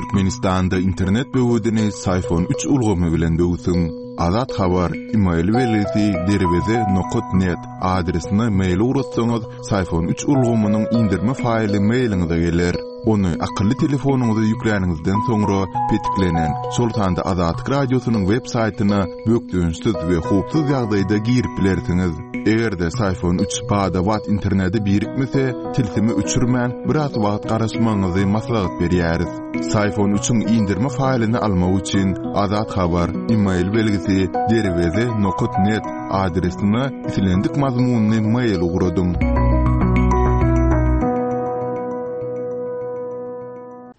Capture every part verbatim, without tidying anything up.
Türkmenistanda internet böwedini Syfon üç ulgamy bilen böwsüň. Azat Habar, e-mail belgisi derweze nokat net adresine mail ugratsaňyz, Syfon üç ulgamynyň indirme faýly mailiňize geler. Ony akylly telefonyňyza ýükläniňizden soňra petiklenen, şol sanda Azatlyk Radiosynyň web saýtyna bökdençsiz we howpsuz ýagdaýda girip bilersiňiz. Eger-de Syfon üç bada-bat internete birikmese, tilsimi öçürmän biraz wagt garaşmagyňyzy maslahat berýäris. Syfon üçiň indirme faýlyny almak üçin Azat Habar, e-mail belgisi derweze nokat net adresine islendik mazmunyny mail ugradyň.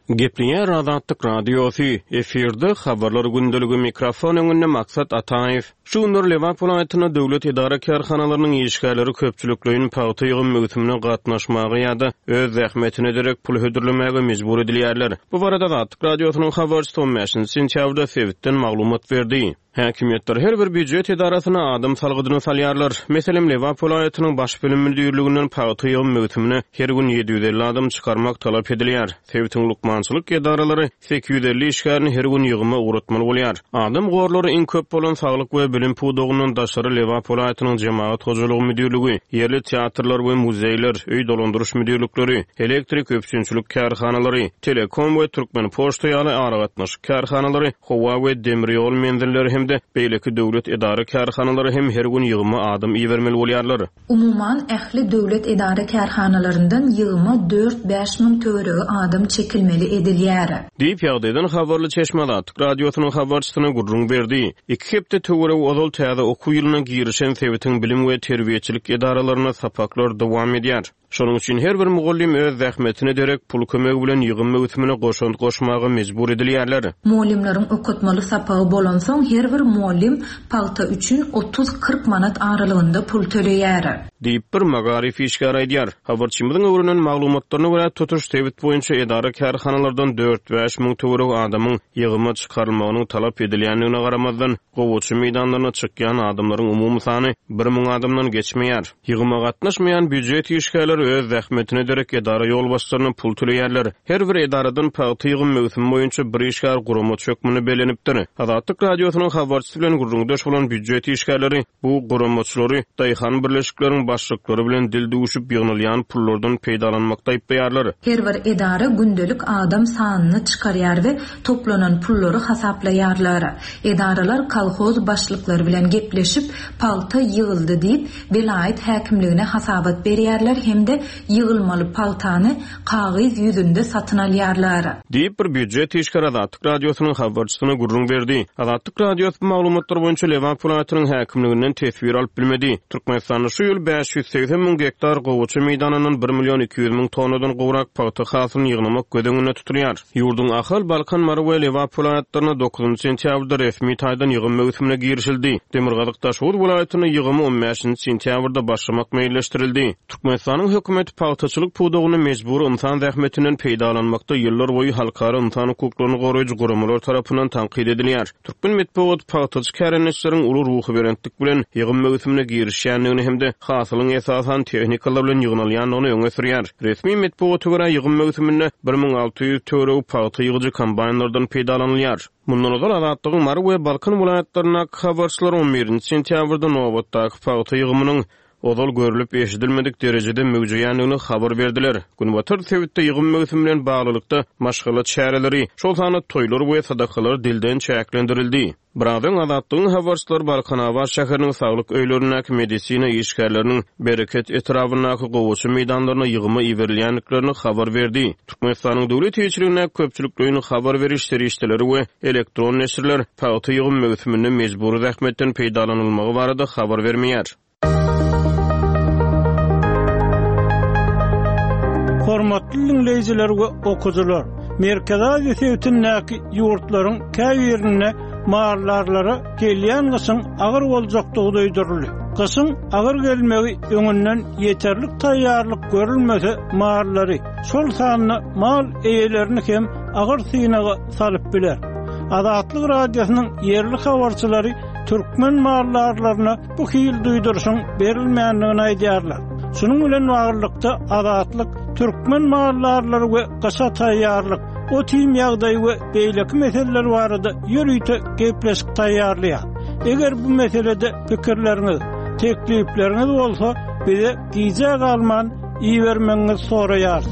Gepleýär Azatlyk Radiosy, efirde habarlar gündeligi mikrofon öňünde Maksat Ataýew. Şu günler Lebap welaýatynda döwlet edara kärhanalarynyň işgärleri köpçülikleýin pagta ýygym möwsümine gatnaşmaga ýa-da öz zähmetine derek pul hödürlemäge mejbur edilýärler. Bu barada Azatlyk Radiosynyň habarçysy on bäşinji sentýabrda sebitden maglumat berdi. Häkimiýetler her bir býujet edarasyna adam salgydyny salýarlar. Meselem, Lebap welaýatynyň baş bilim müdirliginden pagta ýygym möwsümine her gün ýedi ýüz elli adam çykarmak talap edilýär. Sebitiň lukmançylyk edaralary sekiz ýüz elli işgärini her gün ýygyma ugratmaly bolýar. Adam gorlary iň köp bolan saglyk we bilim pudagyndan daşary Lebap welaýatynyň jemagat hojalygy müdirligi, ýerli teatrlar we muzeýler, öý dolandyryş müdirlikleri, elektrik üpjünçilik kärhanalary, telekom we Türkmen poçta ýaly aragatnaşyk kärhanalary, howa we demir ýol menzilleri hem de beýleki döwlet edara kärhanalary hem her gün ýygyma adam ibermeli bolýarlar. Umuman ähli döwlet edara kärhanalaryndan ýygyma dört bäş müň töweregi adam çekilmeli edilýär. Diýip ýagdaýdan habarly çeşme Azatlyk Radiosynyň habarçysyna gürrüň berdi. Iki hepde töweregi ozal täze okuw ýylyna girişen sebitiň bilim we terbiýeçilik edaralarynda sapaklar dowam edýär. Şonuň üçin her bir mugallym öz zähmetine derek pul kömegi bilen ýygym möwsümine goşant goşmaga mejbur edilýärler. Mugallymlaryň okatmaly sapagy bolansoň her bir mugallym pagta üçin otuz kyrk manat aralygynda pul töleýär. Diýip bir magaryf işgäri aýdýar. Habarçymyzyň öwrenen maglumatlaryna görä tutuş sebit boýunça edara kärhanalardan dört bäş müň töweregi adamyň ýygyma çykarylmagynyň talap edilýändigine garamazdan, gowaça meýdanlaryna çykýan adamlaryň umumy sany bir müň adamdan geçmeýär. Ýygyma gatnaşmaýan býujet işgärleri öz zähmetine derek edara ýolbaşçylaryna pul töleýärler. Her bir edaradan pagta ýygym möwsümi boýunça bir işgär guramaçy hökmünde bellenipdir. Azatlyk Radiosynyň habarçysy bilen gürrüňdeş bolan býujet işgärleri bu guramaçylary daýhan birleşikleriň başlyklary bilen dil duşup ýygnalýan pullardan peýdalanmakda aýyplaýarlar. Her bir edara gündelik adam sanyny çykarýar we toplanan pullary hasaplaýarlar. Edaralar kolhoz başlyklary bilen gepleşip pagta ýygyldy diýip welaýat häkimligine hasabat berýärler hem de ýygylmaly pagtany kagyz ýüzünde satyn alýarlar. Diýip bir býujet işgäri Azatlyk Radiosynyň habarçysyna gürrüň berdi. Azatlyk Radiosy bu maglumatlar boýunça Lebap welaýatynyň häkimliginden teswir alyp bilmedi. Türkmenistanda şu ýyl bäş ýüz segsen müň gektar gowaça meýdanyndan bir million iki ýüz müň tonnadan gowrak pagta hasylyny ýygnamak göz öňünde tutulýar. Ýurduň Ahal, Balkan, Mary we Lebap welaýatlarynda dokuzynjy sentýabrda resmi taýdan ýygym möwsümine girişildi. Demirgazyk Daşoguz welaýatynda ýygymy on bäşinji sentýabrda başlamak meýilleşdirildi. Türkmenistanyň hökümeti pagtaçylyk pudagyny mejbur insan zähmetinden peýdalanmakda ýyllar boýy halkara insan hukuklaryny goraýjy guramalar tarapyndan tankyt edilýär. Türkmen metbugat pagtaçy kärendeçileriň uly ruhubelentlik bilen ýygym möwsümine girişýändigini hem de hasylyň esasan tehnikalar bilen ýygnalýandygyny öňe sürýär. Resmi metbugata görä ýygym möwsüminde bir müň alty ýüz töweregi pagta ýygyjy kombaýnlardan peýdalanylýar. Mundan ozal Azatlygyň Mary we Balkan welaýatlaryndaky habarçylar on birinji sentýabrda nobatdaky pagta ýygymynyň ozal görülip eşidilmedik derejede möwjeýändigini habar berdiler. Günbatar sebitde ýygym möwsümi bilen baglylykda maşgala çäreleri, şol sanda toýlar we sadakalar dilden çäklendirildi. Birazdan Azatlygyň habarçylary Balkanabat şäheriniň saglyk öýlerindäki medisina işgärleriniň Bereket etrabyndaky gowaça meýdanlaryna ýygyma iberilýändiklerini habar berdi. Türkmenistanyň döwlet eýeçiligindäki köpçülikleýin habar beriş serişdeleri we elektron neşirler pagta ýygym möwsüminde mejbury zähmetden peýdalanylmagy barada habar bermeýär. Hormatly dinleýjiler we okuwçylar, Merkezi Aziýa sebitindäki ýurtlaryň käbirinde mallarlara gelýän gyşyň agyr boljakdygy duýduryldy. Gyşyň agyr gelmegi öňünden ýeterlik taýýarlyk görülmese mallary, şol sanda mal eýelerini hem agyr synaga salyp biler. Azatlyk Radiosynyň ýerli habarçylary türkmen mallarlaryna bu hil duýduryşyň berilmändigini aýdýarlar. Şunuň bilen baglylykda Azatlyk türkmen mallarlary we gyşa taýýarlyk Ot-iým ýagdaýy we beýleki meseleler barada ýörite gepleşik taýýarlaýar. Eger bu meselede pikirleriňiz, teklipleriňiz bolsa, bize gijä galman ibermegiňizi soraýarys.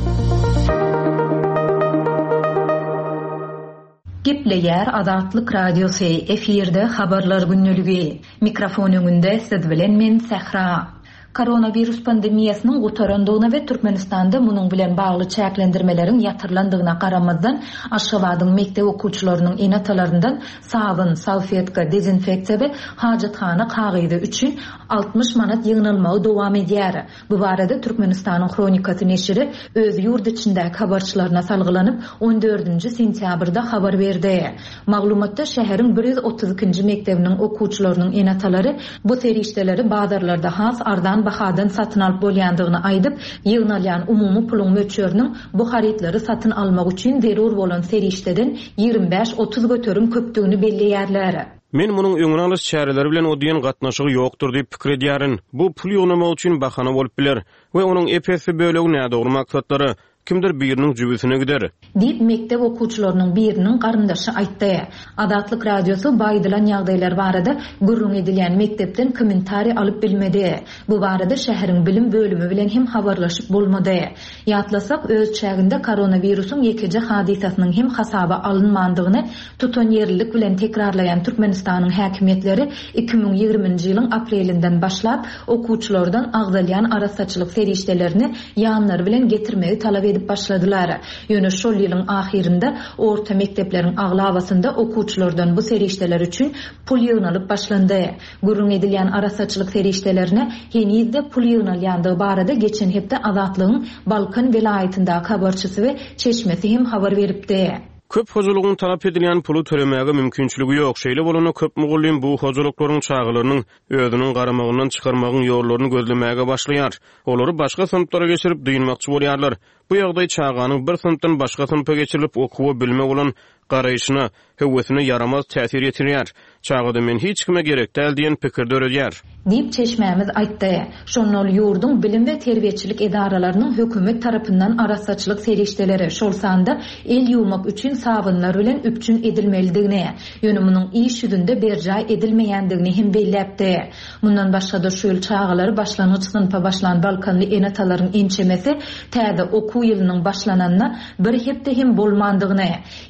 Gepleýär Azatlyk Radiosy, efirde habarlar gündeligi. Mikrofon öňünde siz bilen men Sähra. Koronawirus pandemiýasynyň gutarandygyna we Türkmenistanda munuň bilen bagly çäklendirmeleriň ýatyrylandygyna garamazdan, Aşgabadyň mekdep okuwçylarynyň ene-atalaryndan sabyn, salfetka, dezinfeksiýa we hajathana kagyzy üçin altmyş manat ýygnalmagy dowam edýär. Bu barada Türkmenistanyň Hronikasy neşiri öz ýurt içindäki habarçylaryna salgylanyp, on dördünji sentýabrda habar berdi. Maglumatda şäheriň bir ýüz otuz ikinji mekdebiniň okuwçylarynyň ene-atalary bu serişdeleri bazarlarda has arzan bahadan satyn alyp bolýandygyny aýdyp, ýygnalýan umumy puluň möçberiniň bu harytlary satyn almak üçin zerur bolan serişdeden ýigrimi bäş otuz göterim köpdügini belleýärler. Men munuň öňüni alyş çäreleri bilen o diýen gatnaşygy ýokdur diýip pikir edýärin. Bu pul ýygnamak üçin bahana bolup biler we onuň ep-esli bölegi nädogry maksatlara, kimdir biriniň jübüsine gider. Diýip, mekdep okuwçylarynyň biriniň garyndaşy aýtdy. Azatlyk Radiosy bu aýdylan ýagdaýlar barada gürrüň edilýän mekdepden kommentariý alyp bilmedi. Bu barada şäheriň bilim bölümi bilen hem habarlaşyp bolmady. Ýatlasak, öz çäginde koronawirusyň ýekeje hadysasynyň hem hasaba alynmandygyny tutanýerlilik bilen tekrarlaýan Türkmenistanyň häkimiýetleri iki müň ýigriminji ýylyň aprelinden başlap okuwçylardan agzalýan arassaçylyk serişdelerini ýanlary bilen getirmegi talap edip başladylar. Ýöne şol ýylyň ahyrynda orta mekdepleriň aglabasynda okuwçylardan bu serişdeler üçin pul ýygnalyp başlandy. Gürrüň edilýän arassaçylyk serişdelerine henizde pul ýygnalýandygy barada geçen hepde Azatlygyň Balkan welaýatyndaky habarçysy we çeşmesi hem habar beripdi. Köp hojalygyň talap edilýän puly tölemäge mümkinçiligi ýok. Şeýle bolanda köp mugallym bu hojalyklaryň çagalarynyň özüniň garamagyndan çykarmagyň ýollaryny gözlemäge başlaýar. Olary başga synplara geçirip dynmakçy bolýarlar. Bu ýagdaý çaganyň bir synpdan başga synpa geçirilip okuwa bilime bolan garaýşyna, höwesine ýaramaz täsir ýetirýär. Çagada men hiç kime gerek däl diýen pikir döredýär. Diýip çeşmämiz aýtdy. Şonda ol ýurduň bilim we terbiýeçilik edaralarynyň hökümet tarapyndan arassaçylyk serişdeleri, şol sanda el ýuwmak üçin sabynlar bilen üpjün edilmelidigini, ýöne munuň iş ýüzünde berjaý edilmeýändigini hem belläpdi. Mundan başga-da şu ýyl çagalary başlangyç synpa başlan Balkanly ene-atalaryň ençemesi täze okuw ýylynyň başlananyna bir hepde hem bolmandygyny,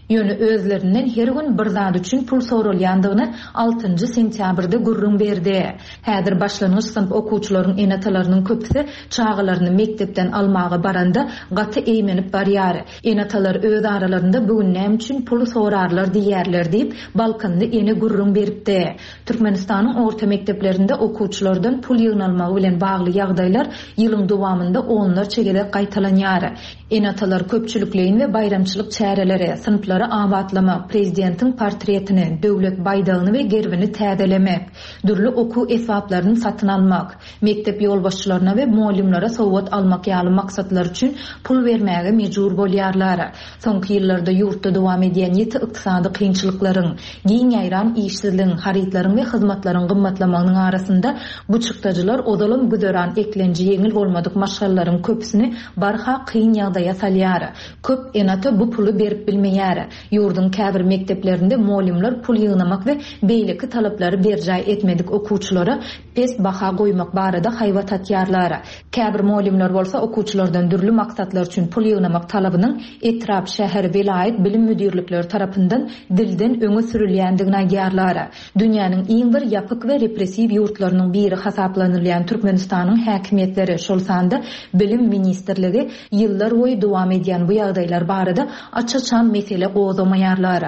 ýöne özlerinden her gün bir zat üçin pul soralýandygyny altynjy sentýabrda gürrüň berdi. Häzir başlangyç synp okuwçylaryň ene-atalarynyň köpüsi çagalaryny mekdepden almaga baranda gaty eýmenip barýar. Ene-atalar öz aralarynda bugün näme üçin pul sorarlar diýerler diýip Balkanly ene gürrüň beripdi. Türkmenistanyň orta mekdeplerinde okuwçylardan pul ýygnalmagy bilen bagly ýagdaýlar ýylyň dowamynda onlarça gezek gaýtalanýar. Ene-atalar köpçülikleýin we baýramçylyk çäreleri, synplary abatlamak, prezidentiň portretini, döwlet baýdagyny we gerbini täzelemek, dürli okuw esbaplaryny satyn almak, mekdep ýolbaşçylaryna we mugallymlara sowgat almak ýaly maksatlar üçin pul bermäge mejbur bolýarlar. Soňky ýyllarda ýurtda dowam edýän ýiti ykdysady kynçylyklaryň, giň ýaýran işsizligiň, harytlaryň we hyzmatlaryň gymmatlamagynyň arasynda bu çykdajylar ozalam güzeran eklenji ýeňil bolmadyk maşgalalaryň köpüsini barha kyn ýagdaýa salýar. Köp ene-ata bu puly berip bilmeýär. Ýurduň käbir mekdeplerinde mugallymlar pul ýygnamak we beýleki talaplary berjaý etmedik okuwçylara pes baha goýmak barada haýbat atýarlar. Käbir mugallymlar bolsa okuwçylardan dürli maksatlar üçin pul ýygnamak talabynyň etrap, şäher, welaýat bilim müdirlikleri tarapyndan dilden öňe sürülýändigini aýdýarlar. Dünýäniň iň bir ýapyk we repressiw ýurtlarynyň biri hasaplanylýan Türkmenistanyň häkimiýetleri, şol sanda Bilim ministrligi ýyllar boýy dowam edýän bu ýagdaýlar barada aç-açan mesele gozgamaýarlar.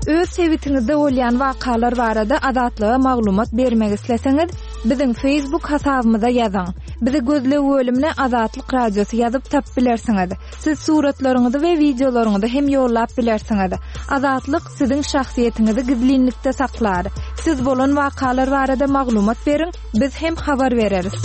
Öz sebitiňizde bolýan wakalar barada Azatlyga maglumat bermek isleseňiz, biziň Facebook hasabymyza ýazyň. Bizi gözleg bölümine Azatlyk Radiosy ýazyp tap bilersiňiz. Siz suratlaryňyzy we wideolaryňyzy hem ýollap bilersiňiz. Azatlyk siziň şahsyýetiňizi gizlinlikde saklar. Siz bolan wakalar barada maglumat beriň, biz hem habar bereris.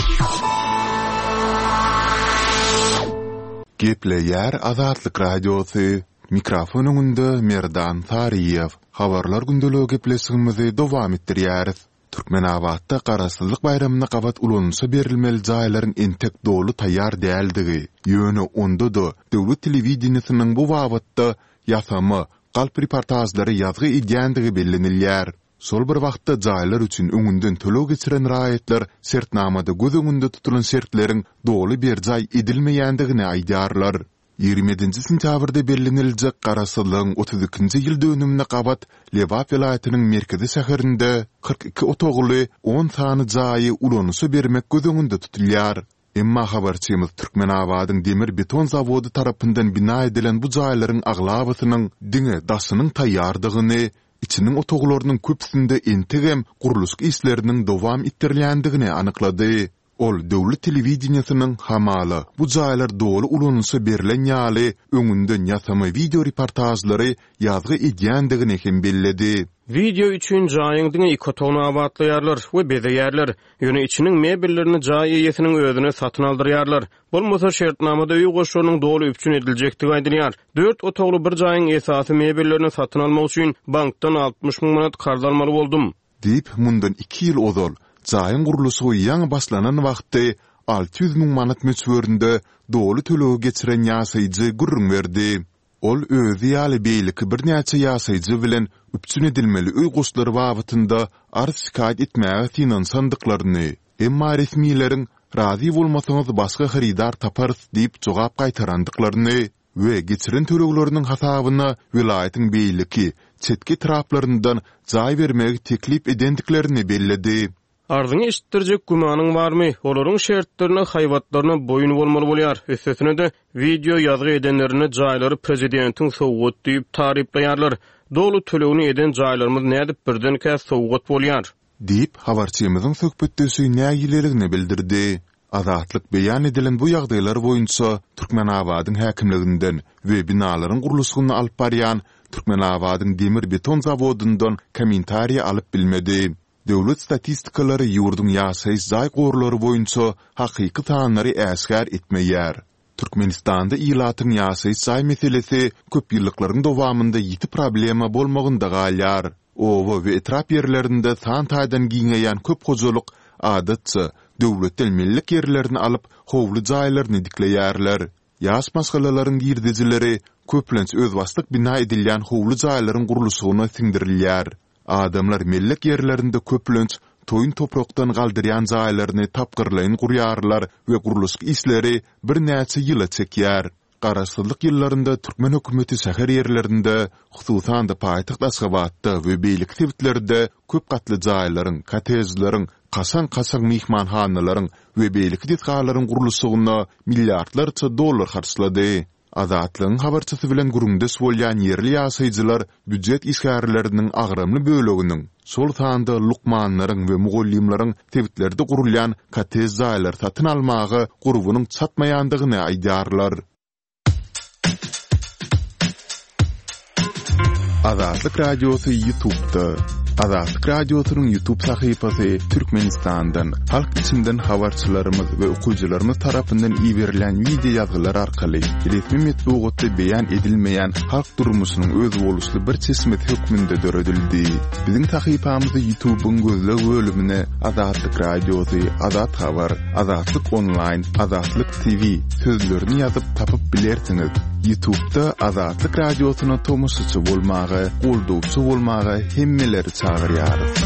Gepleýär Azatlyk Radiosy. Mikrofon öňünde Merdan Saryýew. Habarlar gündeligi gepleşigimizi dowam etdirýäris. Türkmenabatda Garaşsyzlyk baýramyna gabat ulanyşa berilmeli jaýlaryň entek doly taýýar däldigi, ýöne onda-da döwlet telewideniýesiniň bu babatda ýasama, galp reportažlary ýazgy edýändigi bellenilýär. Şol bir wagtda jaýlar üçin öňünden töleg geçiren raýatlar şertnamada göz öňünde tutulan şertleriň doly berjaý edilmeýändigini aýdýarlar. Ýigrimi ýedinji sentýabrda belleniljek Garaşsyzlygyň otuz ikinji ýyl dönümine gabat Lebap welaýatynyň merkezi şäherinde kyrk iki otagly on sany jaýy ulanyşa bermek göz öňünde tutulýar. Emma habarçymyz Türkmenabadyň demir-beton zawody tarapyndan bina edilen bu jaýlaryň aglabasynyň diňe daşynyň taýýardygyny, içiniň otaglarynyň köpüsinde entegem gurluşyk işleriniň dowam etdirilýändigini anyklady. Ol döwlet telewideniýesiniň hamala bu jaýlar doly ulanyşa berlen ýaly öňünden ýasama wideo reportažlary ýazgy edýändigini hem belledi. Wideo üçin jaýyň diňe iki otagyny abatlaýarlar we bezeýärler. Ýöne içiniň mebellerini jaý eýesiniň özüne satyn aldyrýarlar. Bolmasa şertnamada öý goşlarynyň doly üpjün ediljekdigi aýdylýar. Dört otagly bir jaýyň esasy mebellerini satyn almak üçin bankdan altmyş müň manat karz almaly boldum. Diýip, mundan iki ýyl ozal, jaýyň gurluşygy ýaňy başlanan wagty alty ýüz müň manat möçberinde doly tölegi geçiren ýaşaýjy gürrüň berdi. Ol özi ýaly beýleki birnäçe ýaşaýjy bilen üpjün edilmeli öý goşlary babatynda arz-şikaýat etmäge synanyşandyklaryny, emma resmileriň razy bolmasaňyz başga hyrydar taparys diýip jogap gaýtarandyklaryny we geçiren tölegleriniň hasabyna welaýatyň beýleki, çetki etraplaryndan jaý bermegi teklip edendiklerini belledi. Arzyňy eşitdirjek gümanyň barmy? Olaryň şertlerine, haýbatlaryna boýun bolmaly bolýar. Üstesine-de, wideo ýazgy edenlerinde jaýlary prezidentiň sowgat diýip taryplaýarlar. Doly tölegini eden jaýlarymyz nädip birdenkä sowgat bolýar? Diýip, habarçymyzyň söhbetdeşi nägileligini bildirdi. Azatlyk beýan edilen bu ýagdaýlar boýunça Türkmenabadyň häkimliginden we binalaryň gurluşygyny alyp barýan Türkmenabadyň demir-beton zawodyndan kommentariý alyp bilmedi. Döwlet statistikalary ýurduň ýaşaýyş jaý gorlary boýunça hakyky sanlary äşgär etmeýär. Türkmenistanda ilatyň ýaşaýyş jaý meselesi köp ýyllyklaryň dowamynda ýiti problema bolmagynda galýar. Oba we etrap ýerlerinde san taýdan giňeýän köp hojalyk, adatça, döwletden mellek ýerlerini alyp, howly jaýlaryny dikleýärler. Ýaş maşgalalaryň girdejileri köplenç özbaşdak bina edilýän howly jaýlaryň gurluşygyna siňdirilýär. Adamlar mellek ýerlerinde köplenç toýun toprakdan galdyrýan jaýlaryny tapgyrlaýyn gurýarlar we gurluşyk işleri birnäçe ýyla çekýär. Garaşsyzlyk ýyllarynda türkmen hökümeti şäher ýerlerinde, hususan-da paýtagt Aşgabatda we beýleki sebitlerde köp gatly jaýlaryň, kottejleriň, kaşaň-kaşaň myhmanhanalaryň we beýleki desgalaryň gurluşygyna milliardlarça dollar harçlady. Azatlygyň habarçysy bilen gürrüňdeş bolýan ýerli ýaşaýjylar býujet işgärleriniň agramly böleginiň, şol sanda lukmanlaryň we mugallymlaryň sebitlerde gurulýan kottej jaýlary satyn almaga gurbunyň çatmaýandygyny aýdýarlar. Azatlyk Radiosy YouTube'da. Azatlyk Radiosynyň YouTube sahypasy Türkmenistandan, halk içinden habarçylarymyz we okyjylarymyz tarapyndan iberilen wideo ýazgylar arkaly resmi metbugatda beýan edilmeýän halk durmuşynyň özboluşly bir çeşmesi hökmünde döredildi. Biziň sahypamyzy YouTube'yň gözleg bölümine Azatlyk Radiosy, Azat Habar, Azatlyk Onlaýn, Azatlyk T V sözlerini ýazyp tapyp bilersiňiz. YouTube'da Azatlyk Radiosyna tomaşaçy bolmaga, goldawçy bolmaga hemmeleri çagyrýarys.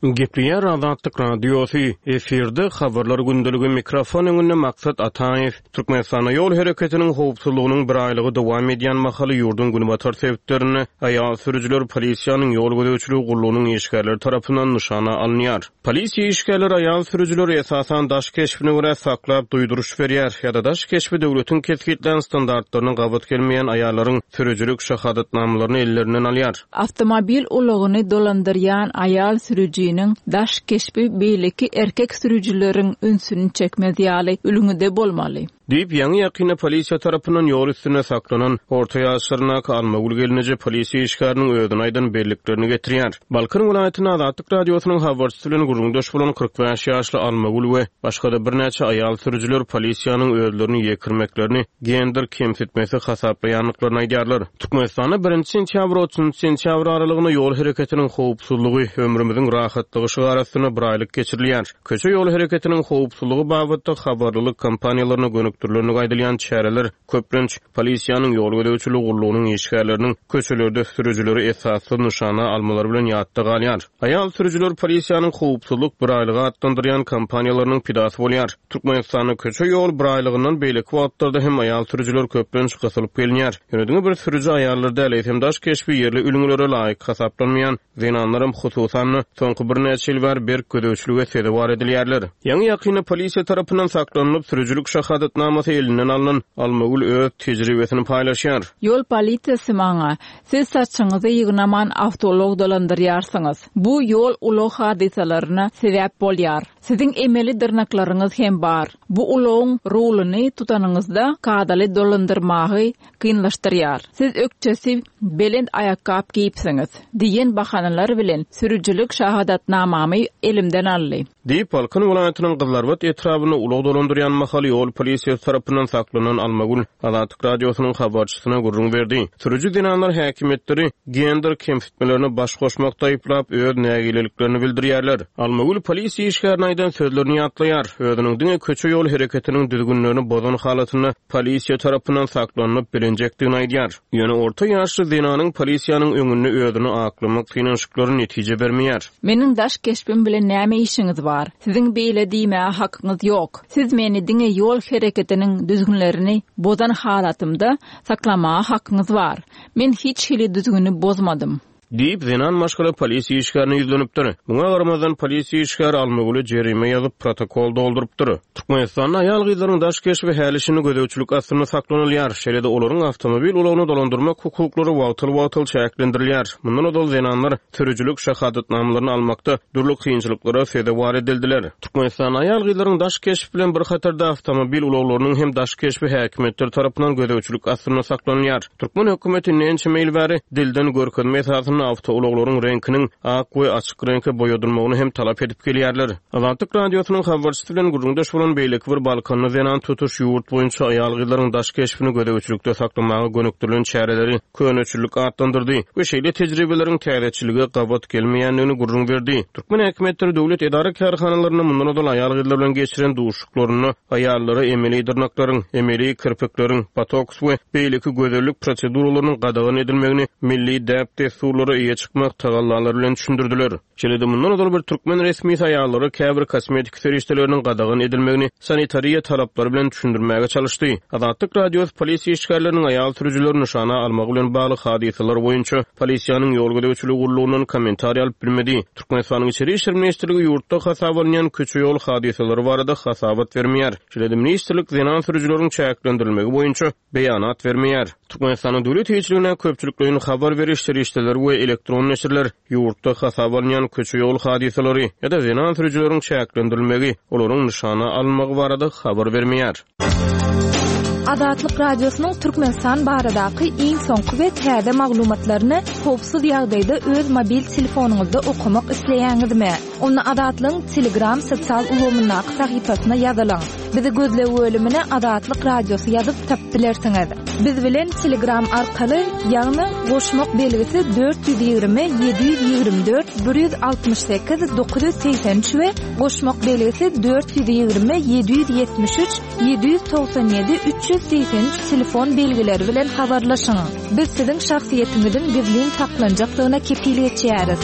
Gepleýär Azatlyk Radiosy, efirde habarlar gündeligi, mikrofon öňünde Maksat Ataýew. Türkmenistanda ýol hereketiniň howpsuzlygynyň bir aýlygy dowam edýän mahaly ýurduň günbatar sebitlerinde aýal sürüjiler polisiýanyň ýol gözegçiligi gullugynyň işgärleri tarapyndan nyşana alynýar. Polisiýa işgärleri aýal sürüjileri esasan daş keşbine görä saklap duýduryş berýär ýa-da daş keşbi döwletiň kesgitlän standartlaryna gabat gelmeýän aýallaryň sürüjilik şahadatnamalaryny ellerinden alýar. Awtomobil ulagyny dolandyrýan aýal sürüjiniň daş keşbi beýleki erkek sürüjileriň ünsüni çekmez ýaly ülňüde bolmaly. Diýip, ýaňy-ýakynda polisiýa tarapyndan ýol üstünde saklanan orta ýaşlaryndaky Almagül gelneje polisiýa işgäriniň özüne aýdan belliklerini getirýär. Balkan welaýatynda Azatlyk Radiosynyň habarçysy bilen gürrüňdeş bolan kyrk bäş ýaşly Almagül we başga-da birnäçe aýal sürüjiler polisiýanyň özlerini ýekirmeklerini gender kemsitmesi hasaplaýandyklaryny aýdýarlar. Türkmenistanda birinji sentýabr otuzynjy sentýabr aralygynda ýol hereketiniň howpsuzlygy, ömrümiziň rahatlygy şygary astynda bir aýlyk geçirilýär. Köçe ýol hereketiniň howpsuzlygy babatda habarlylyk kampaniýalaryna gönükdirilendigi aýdylýan çäreler köplenç polisiýanyň ýol gözegçiligi gullugynyň işgärleriniň köçelerde sürüjileri esassyz nyşana almalary bilen ýatda galýar. Aýal sürüjiler polisiýanyň howpsuzlyk bir aýlygy atlandyrýan kampaniýalarynyň pidasy bolýar. Türkmenistanda köçe ýol bir aýlygyndan beýleki wagtlarda hem aýal sürüjiler köplenç gysylyp gelinýär. Ýöne diňe bir sürüji aýallar däl, eýsem daş keşbi ýerli ülňülere laýyk hasaplanmaýan zenanlaram hususan-da soňky birnäçe ýyl bäri berk gözegçilige sezewar edilýärler. Ýaňy-ýakynda polisiýa tarapyndan saklanylyp, sürüjilik şahadatnamasy elinden alnan Almagül öz tejribesini paýlaşýar. Ýol polisiýasy maňa, siz saçyňyzy ýygnaman awtoulag dolandyrýarsyňyz. Bu ýol ulag hadysalaryna sebäp bolýar. Siziň emeli dyrnaklaryňyz hem bar. Bu ulagyň ruluny tutanyňyzda kadaly dolandyrmagy kynlaşdyrýar. Siz ökçesi belent aýakgap geýipsiňiz diýen bahanalar bilen sürüjilik şahadatnamamy elimden aldy. Diýip, Balkan welaýatynyň Gyzlarbat etrabynda ulag dolandyrýan mahaly ýol polisiýasy tarapyndan saklanan Almagül Azatlyk Radiosynyň habarçysyna gürrüň berdi. Sürüji zenanlar häkimiýetleri gender kemsitmelerine baş goşmakda aýyplap öz nägileliklerini bildirýärler. Almagül polisiýa işgärine aýdan sözlerini ýatlaýar. Özüniň diňe köçe ýol hereketiniň düzgünlerini bozan halatynda polisiýa tarapyndan saklanyp bilinjekdigini aýdýar. Ýöne orta ýaşly zenanyň polisiýanyň öňünde özüni aklamak synanyşyklary netije bermeýär. Meniň daş keşbim bilen näme işiňiz bar? Siziň beýle diýmäge hakyňyz ýok. Siz meni diňe ýol hereketiniň düzgünlerini bozan halatymda saklamaga hakyňyz bar. Men hiç hili düzgüni bozmadym. Diýip, zenan maşgala polisiýa işgärine ýüzlenipdir. Muňa garamazdan polisiýa işgäri Almagüle jerime ýazyp protokol doldurypdyr. Türkmenistanda aýal-gyzlaryň daş keşbi häli-şindi gözegçilik astynda saklanylýar. Şeýle-de olaryň awtomobil ulagyny dolandyrmak hukuklary wagtal-wagtal çäklendirilýär. Mundan ozal zenanlar sürüjilik şahadatnamalaryny almakda dürli kynçylyklara sezewar edildiler. Türkmenistanda aýal-gyzlaryň daş keşbi bilen bir hatarda awtomobil ulaglarynyň hem daş keşbi häkimiýetler tarapyndan gözegçilik astynda saklanylýar. Türkmen hökümeti ençeme ýyl bäri dilden görkezme esasynda awtoulaglaryň reňkiniň ak we açyk reňke boýadylmagyny hem talap edip gelýärler. Azatlyk Radiosynyň habarçysy bilen gürrüňdeş bolan beýleki bir Balkanly zenan tutuş ýurt boýunça aýal-gyzlaryň daş keşbini gözegçilikde saklamaga gönükdirilen çäreleri köneçilik atlandyrdy we şeýle tejribeleriň täzeçilige gabat gelmeýändigini gürrüň berdi. Türkmen häkimiýetleri döwlet edara kärhanalarynda mundan ozal aýal-gyzlar bilen geçiren duşuşyklarynda aýallara emeli dyrnaklaryň, emeli kirpikleriň, botoks we beýleki gözellik proseduralarynyň gadagan edilmegini milli däp-dessurlara eýe çykmak tagallalary bilen düşündirdiler. Şeýle-de mundan ozal bir türkmen resmisi aýallara käbir kosmetik serişdeleriniň gadagan edilmegini sanitariýa talaplary bilen düşündirmäge çalyşdy. Azatlyk Radiosy polisiýa işgärleriniň aýal sürüjileri nyşana almagy bilen bagly hadysalar boýunça polisiýanyň ýol gözegçiligi gullugyndan kommentariý alyp bilmedi. Türkmenistanyň Içeri işler ministrligi ýurtda hasap alynýan köçe ýol hadysalary barada hasabat bermeýär. Şeýle-de ministrlik zenan sürüjileriň çäklendirilmegi boýunça beýanat bermeýär. Türkmenistanyň döwlet eýeçiligine köpçülikleýin habar beriş serişdeleri we elektron neşirler ýurtda hasap alynýan köçe ýol hadysalary ýa-da zenan sürüjileriň çäklendirilmegi, olaryň nyşana alynmagy barada habar bermeýär. Azatlyk Radiosynyň Türkmenistan baradaky iň soňky we täze maglumatlaryny howpsuz ýagdaýda öz mobil telefonyňyzda okamak isleýäňizmi? Onda Azatlygyň Telegram sosial ulgamyndaky sahypasyna ýazylyň. Bizi gözleg bölümine Azatlyk Radiosy ýazyp tapyp bilersiňiz. Biz bilen Telegram arkaly, ýagny goşmak belgisi dört ýüz ýigrimi ýedi ýüz ýigrimi dört bir ýüz altmyş sekiz dokuz ýüz segsen üç we goşmak belgisi dört ýüz ýigrimi ýedi ýüz ýetmiş üç ýedi ýüz togsan ýedi üç ýüz segsen üç telefon belgileri bilen habarlaşyň. Biz siziň şahsyýetiňiziň gizlin saklanjakdygyna kepil geçýäris.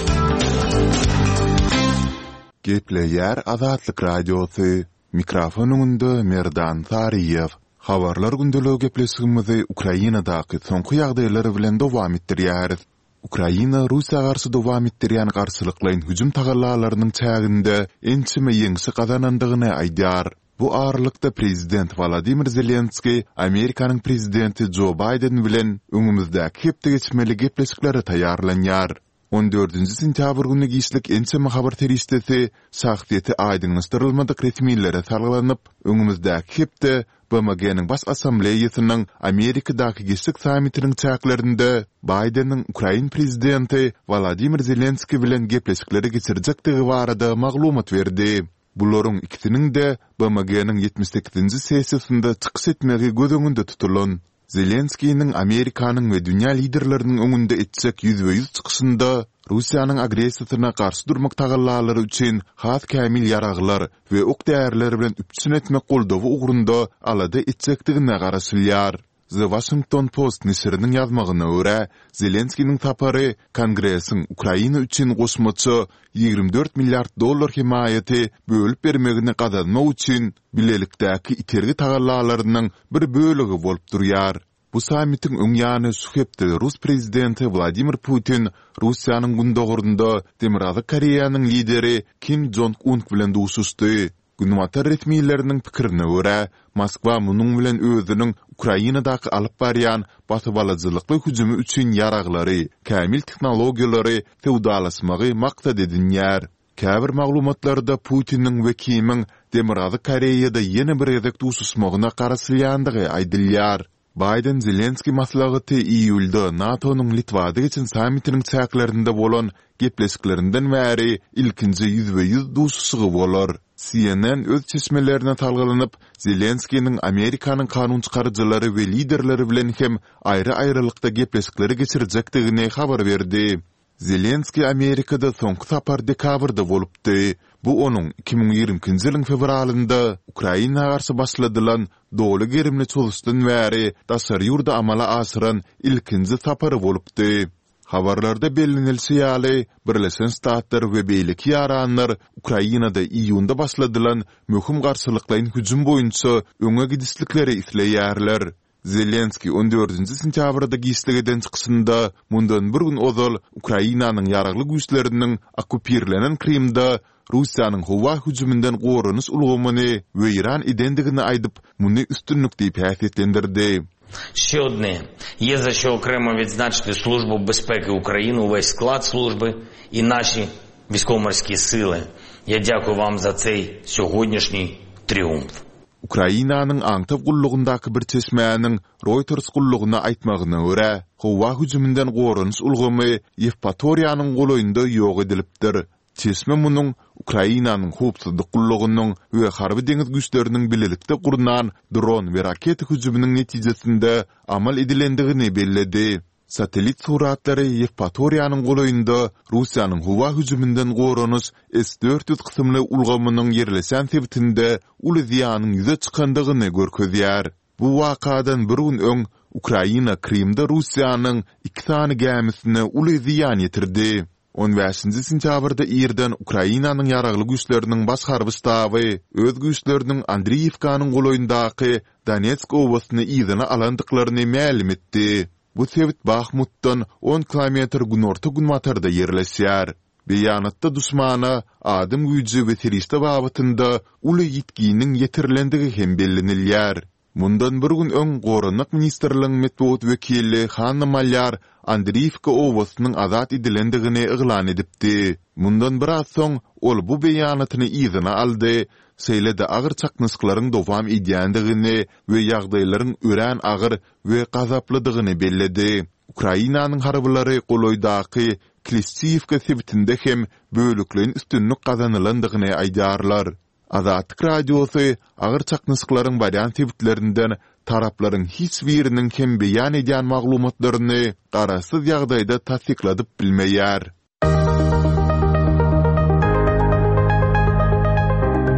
Gepleýär Azatlyk Radiosy. Mikrofon öňünde Merdan Saryýew. Habarlar gündeligi gepleşigimizi Ukrainadaky soňky ýagdaýlar bilen dowam etdirýäris. Ukraina Russiýa garşy dowam etdirýän garşylyklaýyn hüjüm tagallalarynyň çäginde ençeme ýeňşi gazanandygyny aýdýar. Bu aralykda prezident Wladimir Zelenskiý Amerikanyň prezidenti Jo Baýden bilen öňümizdäki hepde geçmeli gepleşiklere taýýarlanýar. On dördünji sentýabr güni giçlik ençeme habar serişdesi şahsyýeti aýdyňlaşdyrylmadyk resmilere salgylanyp, öňümizdäki hepde B M G-niň Baş Assambleýasynyň Amerikadaky giçlik sammitiniň çäklerinde Baýdeniň Ukrain prezidenti Wolodymyr Zelenskiý bilen gepleşikleri geçirjekdigi barada maglumat berdi. Bularyň ikisiniň-de B M G-niň ýetmiş sekizinji sessiýasynda çykyş etmegi göz öňünde tutulan. Zelenskiniň Amerikanyň we dünýä liderleriniň öňünde etjek ýüzbe-ýüz çykyşynda Russiýanyň agressiýasyna garşy durmak tagallalary üçin has kämil ýaraglar we ok-däriler bilen üpjün etmek goldawy ugrunda alada etjekdigine garaşylýar. The Washington Post neşiriniň ýazmagyna görä, Zelenskiniň sapary Kongresiň Ukraina üçin goşmaça ýigrimi dört milliard dollar hemaýaty bölüp bermegini gazanmak üçin bilelikdäki itergi tagallalarynyň bir bölegi bolup durýar. Bu sammitiň öň ýany şu hepde rus prezidenti Wladimir Putin Russiýanyň gündogarynda Demirgazyk Koreýanyň lideri Kim Jong-un bilen duşuşdy. Günbatar resmileriniň pikirine görä, Moskwa munuň bilen özüniň Ukrainadaky alyp barýan basybalyjylykly hüjümi üçin ýaraglary, kämil tehnologiýalary söwdalaşmagy maksat edinýär. Käbir maglumatlarda Putiniň we Kimiň Demirgazyk Koreýada ýene bir gezek duşuşmagyna garaşylýandygy aýdylýar. Baýden-Zelenskiý maslahaty iýulda NATO-nyň Litwada geçen sammitiniň çäklerinde bolan gepleşiklerinden bäri ilkinji ýüzbe-ýüz duşuşygy bolar. C N N öz çeşmelerine salgylanyp, Zelenskiniň Amerikanyň kanunçykaryjylary we liderleri bilen hem aýry-aýrylykda gepleşikleri geçirjekdigini habar berdi. Zelenskiý Amerikada soňky sapar dekabrda bolupdy. Bu onuň iki müň ýigrimi ikinji ýylyň fewralynda Ukraina garşy başladylan doly gerimli çozuşdan bäri daşary ýurda amala aşyran ilkinji sapary bolupdy. Habarlarda bellenilişi ýaly, Birleşen Ştatlar we beýleki ýaranlar Ukrainada iýunda başladylan möhüm garşylyklaýyn hüjüm boýunça öňe gidişlikleri isleýärler. Zelenskiý on dördünji sentýabrda giçlik eden çykyşynda mundan bir gün ozal Ukrainanyň ýaragly güýçleriniň okkupirlenen Krymda Russiýanyň howa hüjüminden goranyş ulgamyny weýran edendigini aýdyp, muny üstünlik diýip häsiýetlendirdi. Ще одне. Є за що окремо відзначити Службу безпеки України, увесь склад служби і наші військово-морські сили. Я дякую вам за цей сьогоднішній тріумф. Ukrainanyň aňtaw gullugyndaky bir çeşmäniň Reuters gullugyna aýtmagyna görä, howa hüjüminden goranyş ulgamy Ýewpatoriýanyň golaýynda ýok edilipdir. Çeşme munuň Ukrainanyň howpsuzlyk gullugynyň we harby deňiz güýçleriniň bilelikde gurnan dron we raketa hüjüminiň netijesinde amal edilendigini belledi. Satellit suratlary Ýewpatoriýanyň golaýynda Russiýanyň howa hüjüminden goranyş S dört ýüz kysymly ulgamynyň ýerleşen sebitinde uly zyýanyň ýüze çykandygyny görkezýär. Bu wakadan bir gün öň Ukraina Krymda Russiýanyň iki sany gämisine uly zyýan ýetirdi. On bäşinji sentýabrda irden Ukrainanyň ýaragly güýçleriniň baş harby ştaby öz güýçleriniň Andriýewkanyň golaýyndaky Donetsk obasyny yzyna alandyklaryny mälim etdi. Bu sebit Bahmutdan on kilometr günorta günbatarda ýerleşýär. Beýanatda duşmana adam güýji we serişde babatynda uly ýitginiň ýetirilendigi hem bellenilýär. Mundan bir gün öň Goranmak ministrliginiň metbugat wekili Hanna Malýar Andriýewka obasynyň azat edilendigini yglan edipdi. Mundan biraz soň ol bu beýanatyny yzyna aldy, şeýle-de agyr çaknyşyklaryň dowam edýändigini we ýagdaýlaryň örän agyr we gazaplydygyny belledi. Ukrainanyň harbylary golaýdaky Klişçiýewka sebitinde hem bölekleýin üstünlik gazanylandygyny aýdýarlar. Azatlyk Radiosy agyr çaknyşyklaryň barýan sebitlerinden taraplaryň hiç biriniň hem beýan edýän maglumatlaryny garaşsyz ýagdaýda tassykladyp bilmeýär.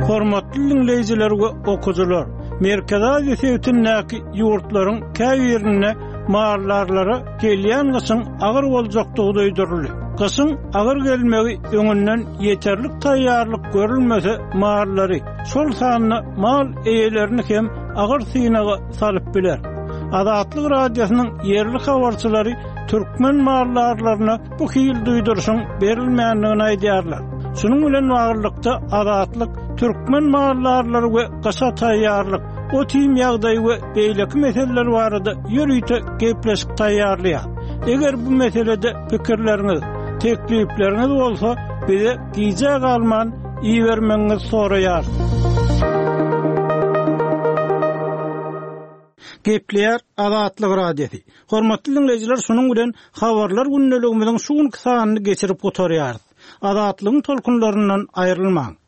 Hormatly dinleýjiler we okyjylar, Merkezi Aziýa sebitindäki ýurtlaryň käbirinde maldarlara gelýän gyşyň agyr boljakdygy duýduryldy. Gyşyň agyr gelmegi öňünden ýeterlik taýýarlyk görülmese mallary, şol sanda mal eýelerini hem agyr synaga salyp biler. Azatlyk Radiosynyň ýerli habarçylary türkmen maldarlaryna bu hil duýduryşyň berilmändigini aýdýarlar. Şunuň bilen baglylykda Azatlyk türkmen maldarlary we gyşa taýýarlyk, ot-iým ýagdaýy we beýleki meseleler barada ýörite gepleşik taýýarlaýar. Eger bu meselede pikirleriňiz, teklipleriňiz bolsa bize gije galman ibermegiňizi soraýar. Gepleýär Azatlyk Radiosy. Hormatly dinleýjiler, şunuň bilen habarlar gündeligimiziň şu günki sanyny geçirip gutarýarys. Azatlygyň tolkunlaryndan aýrylmaň.